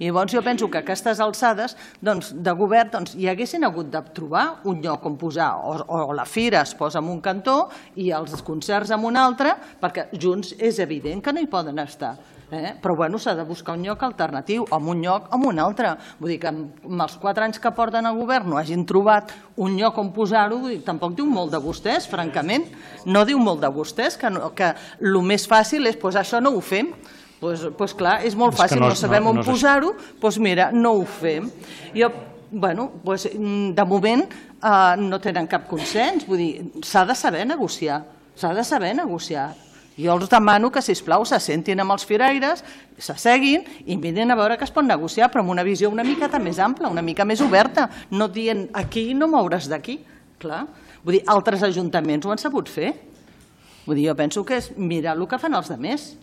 I llavors jo penso que a aquestes alçades de govern hi haguessin hagut de trobar un lloc on posar, o la fira es posa en un cantó i els concerts en un altre, perquè junts és evident que no hi poden estar. Però s'ha de buscar un lloc alternatiu, en un lloc o en un altre. Vull dir que amb els 4 anys que porten a govern no hagin trobat un lloc on posar-ho, tampoc diu molt de vostès, francament. No diu molt de vostès, que el més fàcil és, doncs això no ho fem. Doncs clar, és molt fàcil, no sabem on posar-ho, doncs mira, no ho fem. De moment no tenen cap consens, vull dir, s'ha de saber negociar, s'ha de saber negociar. Jo els demano que, sisplau, s'assentin amb els firaires, s'asseguin i mirin a veure què es pot negociar, però amb una visió una miqueta més ampla, una mica més oberta, no dient aquí no mouràs d'aquí. Clar, vull dir, altres ajuntaments ho han sabut fer. Vull dir, jo penso que és mirar el que fan els altres.